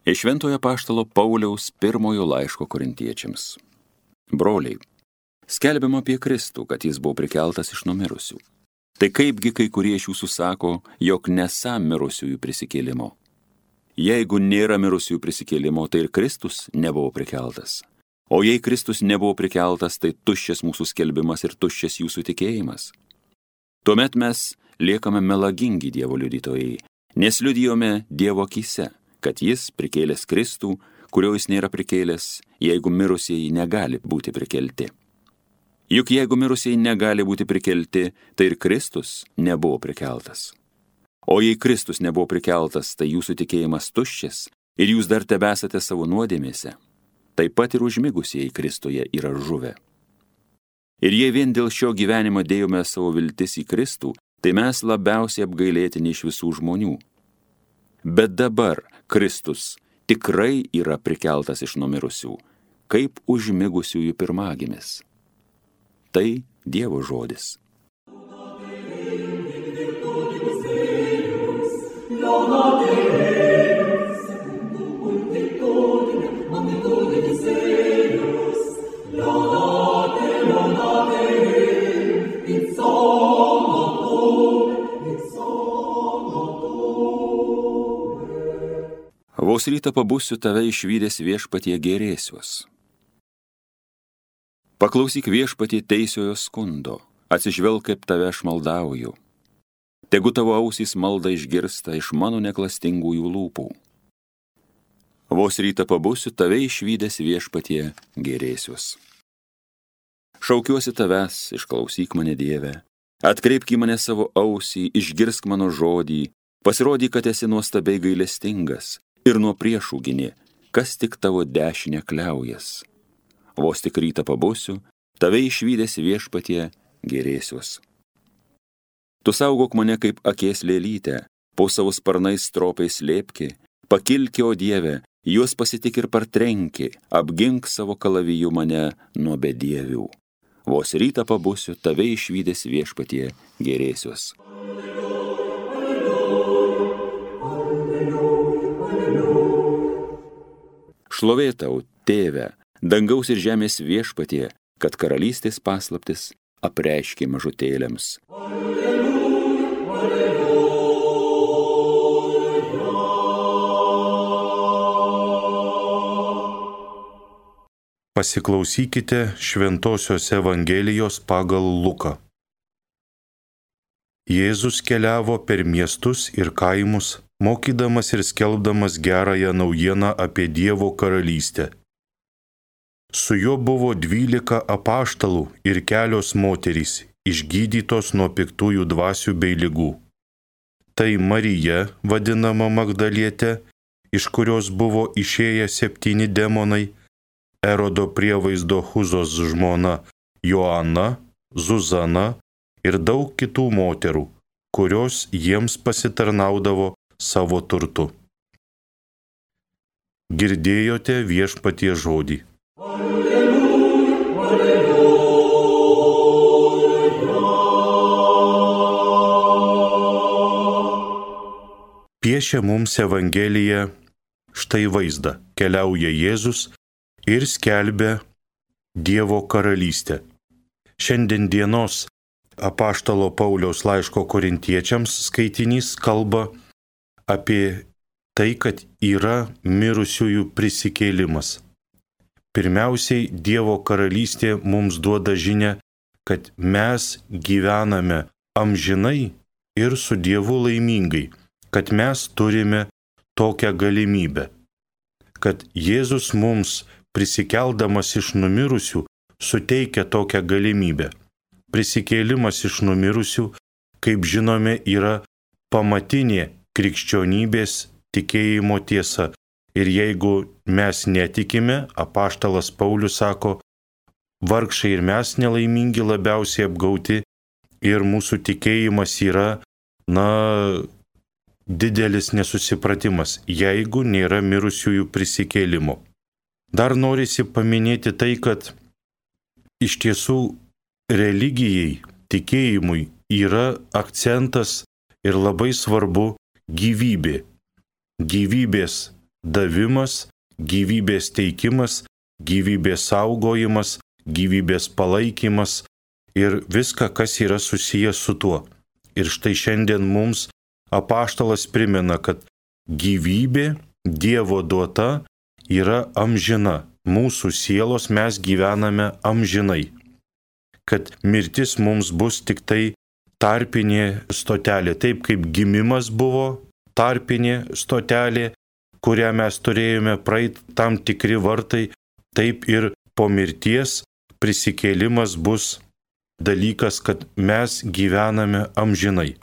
Iš Šventojo apaštalo Pauliaus pirmojo laiško Korintiečiams. Broliai, skelbiama apie Kristų, kad jis buvo prikeltas iš numirusių. Tai kaipgi kai kurie iš jūsų sako, jog nesą mirusiųjų prisikėlimo? Jeigu nėra mirusiųjų prisikėlimo, tai ir Kristus nebuvo prikeltas. O jei Kristus nebuvo prikeltas, tai tuščias mūsų skelbimas ir tuščias jūsų tikėjimas. Tuomet mes liekame melagingi Dievo liudytojai, nes liudijome Dievo akyse, kad jis prikėlęs Kristų, kurio jis nėra prikėlęs, jeigu mirusieji negali būti prikelti. Juk jeigu mirusieji negali būti prikelti, tai ir Kristus nebuvo prikeltas. O jei Kristus nebuvo prikeltas, tai jūsų tikėjimas tuščias ir jūs dar tebesate savo nuodėmėse. Taip pat ir užmigusieji Kristuje yra žuvę. Ir jei vien dėl šio gyvenimo dėjome savo viltis į Kristų, tai mes labiausiai apgailėtini iš visų žmonių. Bet dabar Kristus tikrai yra prikeltas iš numirusių, kaip užmigusiųjų pirmagimis. Tai Dievo žodis. Vos rytą pabusiu tave išvydęs viešpatie gėrėsiuos. Paklausyk viešpatie teisiojo skundo, atsižvelk, kaip tave aš maldauju. Tegu tavo ausys maldą išgirsta iš mano neklastingųjų lūpų. Vos rytą pabusiu tave išvydęs viešpatie gėrėsiuos. Šaukiuosi tavęs, išklausyk mane Dieve, atkreipk į mane savo ausį, išgirsk mano žodį, pasirodyk, kad esi nuostabiai gailestingas ir nuo priešų gini, kas tik tavo dešinę kliaujas. Vos tik rytą pabusiu, tave išvydęs viešpatie gėrėsiuos. Tu saugok mane kaip akės lėlytę, po savo sparnais stropiai slėpki, pakilki, o Dieve, juos pasitik ir partrenki, apgink savo kalaviju mane nuo bedievių. Vos rytą pabusiu, tave išvydęs viešpatie gėrėsiuos. Šlovė tau, Tėve, dangaus ir žemės viešpatie, kad karalystės paslaptis apreiškė mažutėliams. Pasiklausykite Šventosios Evangelijos pagal Luką. Jėzus keliavo per miestus ir kaimus, mokydamas ir skelbdamas gerąją naujieną apie Dievo karalystę. Su juo buvo 12 apaštalų ir kelios moterys, išgydytos nuo piktųjų dvasių bei ligų. Tai Marija, vadinama Magdalietė, iš kurios buvo išėję 7 demonai, Erodo prievaizdo Huzos žmona Joana, Zuzana ir daug kitų moterų, kurios jiems pasitarnaudavo savo turtu. Girdėjote viešpatie žodį. Piešia mums Evangelija štai vaizdą. Keliauja Jėzus ir skelbia Dievo karalystę. Šiandien dienos apaštalo Pauliaus laiško Korintiečiams skaitinys kalba apie tai, kad yra mirusiųjų prisikėlimas. Pirmiausiai, Dievo karalystė mums duoda žinią, kad mes gyvename amžinai ir su Dievu laimingai, kad mes turime tokią galimybę, kad Jėzus mums prisikeldamas iš numirusių suteikia tokią galimybę. Prisikėlimas iš numirusių, kaip žinome, yra pamatinė krikščionybės tikėjimo tiesa. Ir jeigu mes netikime, apaštalas Paulius sako, vargšai ir mes nelaimingi labiausiai apgauti ir mūsų tikėjimas yra, didelis nesusipratimas, jeigu nėra mirusiųjų prisikėlimo. Dar norisi paminėti tai, kad iš tiesų religijai, tikėjimui yra akcentas ir labai svarbu gyvybė. Gyvybės davimas, gyvybės teikimas, gyvybės saugojimas, gyvybės palaikymas ir viską, kas yra susijęs su tuo. Ir štai šiandien mums apaštalas primena, kad gyvybė Dievo duota yra amžina. Mūsų sielos mes gyvename amžinai. Kad mirtis mums bus tik tai tarpinė stotelė. Taip kaip gimimas buvo tarpinė stotelė, kurią mes turėjome praeiti tam tikri vartai, taip ir po mirties prisikėlimas bus dalykas, kad mes gyvename amžinai.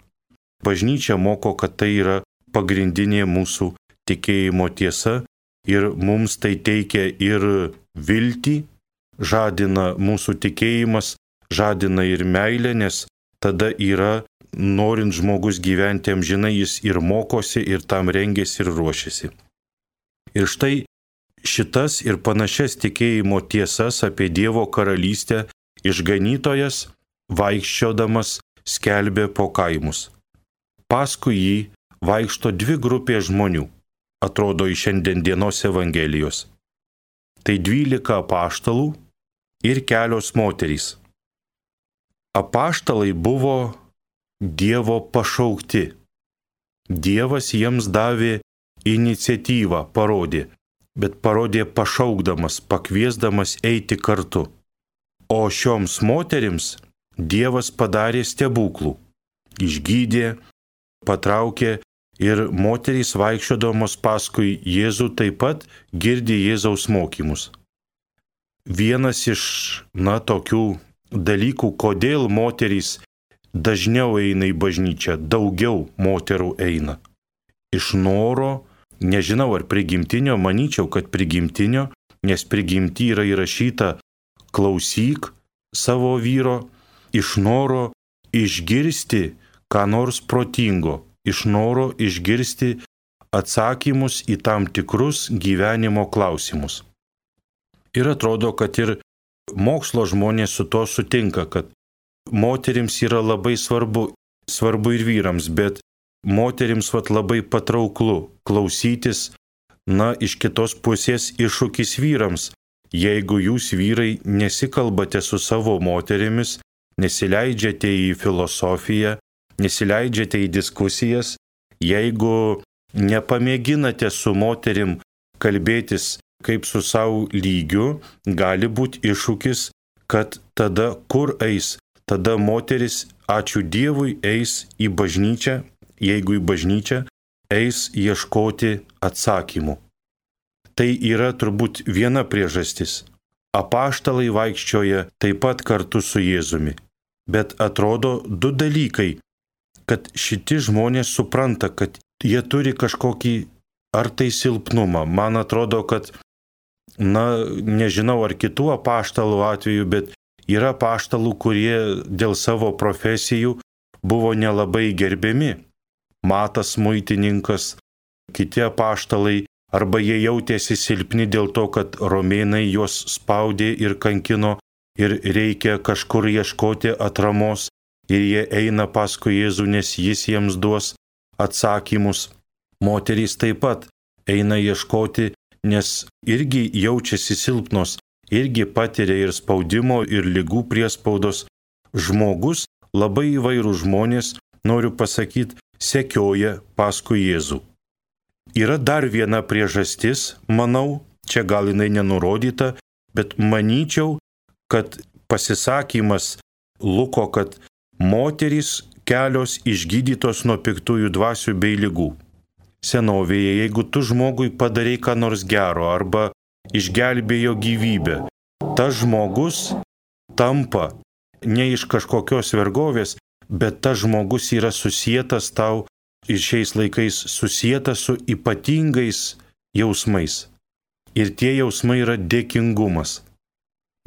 Bažnyčia moko, kad tai yra pagrindinė mūsų tikėjimo tiesa ir mums tai teikia ir viltį, žadina mūsų tikėjimas, žadina ir meilę, nes tada yra, norint žmogus gyventi amžinai, jis ir mokosi, ir tam rengiasi, ir ruošiasi. Ir štai šitas ir panašias tikėjimo tiesas apie Dievo karalystę išganytojas, vaikščiodamas, skelbė po kaimus. Paskui jį vaikšto dvi grupės žmonių, atrodo iš šiandien dienos Evangelijos. Tai 12 apaštalų ir kelios moterys. Apaštalai buvo Dievo pašaukti. Dievas jiems davė iniciatyvą, parodė, bet parodė pašaukdamas, pakviesdamas eiti kartu. O šioms moterims Dievas padarė stebuklų, išgydė, patraukė ir moterys vaikščiodamos paskui Jėzų taip pat girdi Jėzaus mokymus. Vienas iš, tokių dalykų, kodėl moterys dažniau eina į bažnyčią, daugiau moterų eina. Iš noro, nežinau ar prigimtinio, manyčiau, kad prigimtinio, nes prigimty yra įrašyta klausyk savo vyro, iš noro išgirsti ką nors protingo, iš noro išgirsti atsakymus į tam tikrus gyvenimo klausimus. Ir atrodo, kad ir mokslo žmonės su to sutinka, kad moterims yra labai svarbu ir vyrams, bet moterims labai patrauklu klausytis, iš kitos pusės iššūkis vyrams. Jeigu jūs vyrai nesikalbate su savo moterimis, nesileidžiate į filosofiją, nesileidžiate į diskusijas, jeigu nepamėginate su moterim kalbėtis kaip su savo lygiu, gali būti iššūkis, kad tada kur eis? Tada moteris, ačiū Dievui, eis į bažnyčią, jeigu į bažnyčią, eis ieškoti atsakymų. Tai yra turbūt viena priežastis. Apaštalai vaikščioja taip pat kartu su Jėzumi. Bet atrodo du dalykai, kad šiti žmonės supranta, kad jie turi kažkokį ar tai silpnumą. Man atrodo, kad, nežinau ar kitų apaštalų atveju, bet yra apaštalų, kurie dėl savo profesijų buvo nelabai gerbiami. Matas muitininkas, kiti apaštalai, arba jie jautėsi silpni dėl to, kad romėnai juos spaudė ir kankino ir reikia kažkur ieškoti atramos ir jie eina paskui Jėzų, nes jis jiems duos atsakymus. Moterys taip pat eina ieškoti, nes irgi jaučiasi silpnos, irgi patiria ir spaudimo, ir ligų priespaudos. Žmogus, labai įvairūs žmonės, noriu pasakyti, sekioja paskui Jėzų. Yra dar viena priežastis, manau, čia gal jinai nenurodyta, bet manyčiau, kad pasisakymas Luko, kad moterys kelios išgydytos nuo piktųjų dvasių bei ligų. Senovėje, jeigu tu žmogui padarai ką nors gero arba išgelbėjo gyvybę, tas žmogus tampa ne iš kažkokios vergovės, bet tas žmogus yra susietas tau ir šiais laikais susietas su ypatingais jausmais. Ir tie jausmai yra dėkingumas.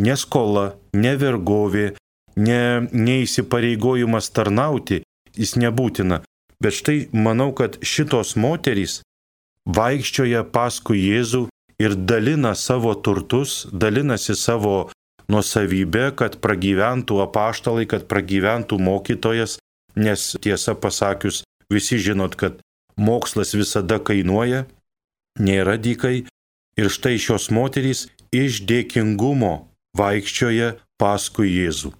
Ne skola, ne vergovė, ne įsipareigojimas tarnauti, jis nebūtina. Bet štai manau, kad šitos moterys vaikščioja paskui Jėzų ir dalina savo turtus, dalinasi savo nuosavybę, kad pragyventų apaštalai, kad pragyventų mokytojas, nes tiesą pasakius, visi žinot, kad mokslas visada kainuoja, nėra dykai ir štai šios moterys iš dėkingumo vaikščioja paskui Jėzų.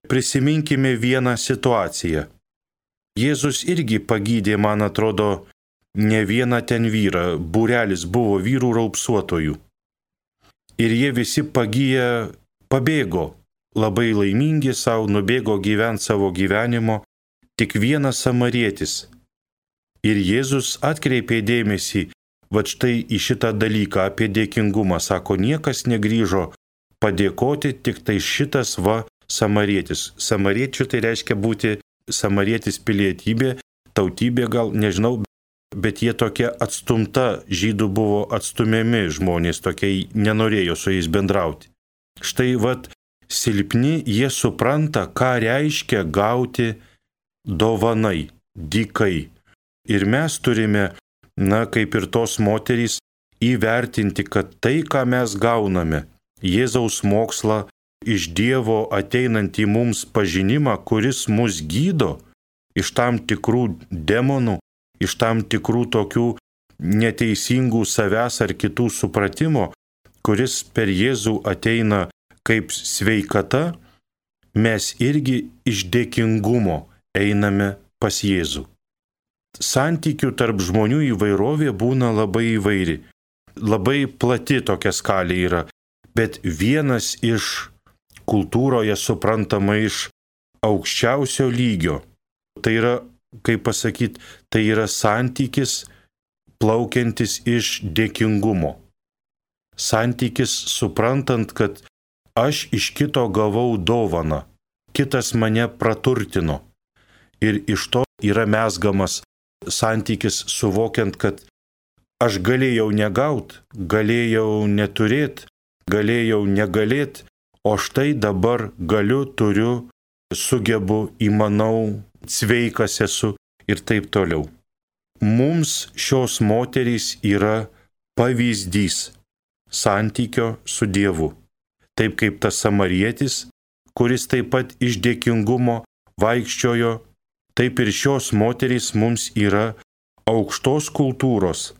Prisiminkime vieną situaciją. Jėzus irgi pagydė, man atrodo, ne vieną ten vyrą, būrelis buvo vyrų raupsuotojų. Ir jie visi pagiję pabėgo, labai laimingi savo, nubėgo gyventi savo gyvenimo, tik vienas samarietis. Ir Jėzus atkreipė dėmesį, va štai į šitą dalyką apie dėkingumą, sako, niekas negrįžo padėkoti, tik tai šitas samarietis. Samariečių tai reiškia būti samarietis pilietybė, tautybė gal, nežinau, bet jie tokie atstumta, žydų buvo atstumiami žmonės, tokie nenorėjo su jais bendrauti. Štai silpni jie supranta, ką reiškia gauti dovanai, dykai. Ir mes turime, kaip ir tos moterys, įvertinti, kad tai, ką mes gauname, Jėzaus mokslą, iš Dievo ateinantį mums pažinimą, kuris mus gydo iš tam tikrų demonų, iš tam tikrų tokių neteisingų savęs ar kitų supratimo, kuris per Jėzų ateina kaip sveikata, mes irgi iš dėkingumo einame pas Jėzų. Santykių tarp žmonių įvairovė būna labai įvairi, labai plati tokia skalė yra, bet vienas iš kultūroje suprantama iš aukščiausio lygio. Tai yra, kaip pasakyti, tai yra santykis plaukiantis iš dėkingumo. Santykis suprantant, kad aš iš kito gavau dovaną, kitas mane praturtino. Ir iš to yra mezgamas santykis suvokiant, kad aš galėjau negaut, galėjau neturėt, galėjau negalėt, o štai dabar galiu, turiu, sugebu, įmanau, sveikas esu ir taip toliau. Mums šios moterys yra pavyzdys santykio su Dievu. Taip kaip tas samarietis, kuris taip pat iš dėkingumo vaikščiojo, taip ir šios moterys mums yra aukštos kultūros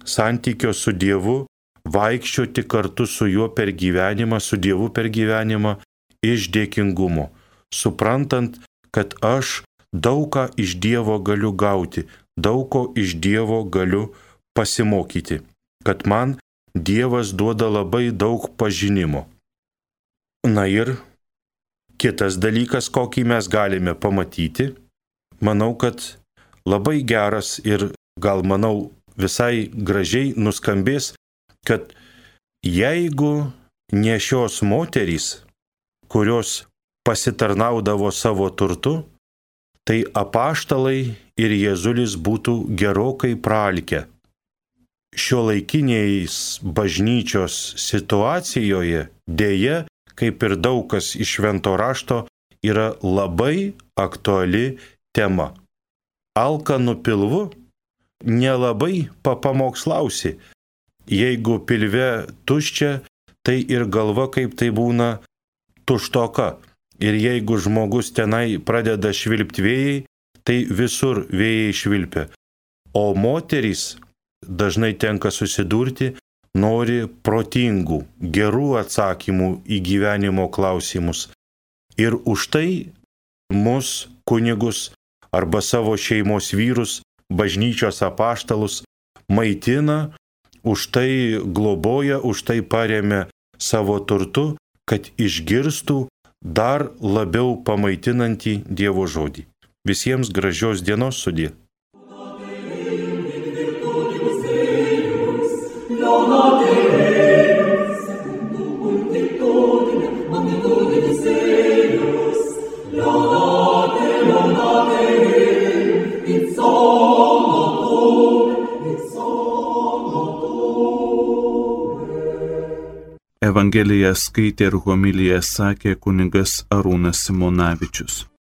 santykio su Dievu, vaikščioti kartu su juo per gyvenimą, su Dievu per gyvenimą iš dėkingumo, suprantant, kad aš daug ką iš Dievo galiu gauti, daug ko iš Dievo galiu pasimokyti, kad man Dievas duoda labai daug pažinimo. Na ir kitas dalykas, kokį mes galime pamatyti, manau, kad labai geras ir gal manau visai gražiai nuskambės, kad jeigu ne šios moterys, kurios pasitarnaudavo savo turtu, tai apaštalai ir Jėzulis būtų gerokai praalkę. Šiuolaikiniais bažnyčios situacijoje dėja, kaip ir daug kas iš švento rašto, yra labai aktuali tema. Alkanu pilvu nelabai papamokslausi. Jeigu pilve tuščia, tai ir galva kaip tai būna tuštoka. Ir jeigu žmogus tenai pradeda švilpti vėjai, tai visur vėjai švilpia. O moterys dažnai tenka susidurti, nori protingų, gerų atsakymų į gyvenimo klausimus. Ir už tai mus, kunigus arba savo šeimos vyrus, bažnyčios apaštalus maitina, už tai globoja, už tai paremia savo turtu, kad išgirstų dar labiau pamaitinantį Dievo žodį. Visiems gražios dienos, sudie. Evangeliją skaitė ir homiliją sakė kunigas Arūnas Simonavičius.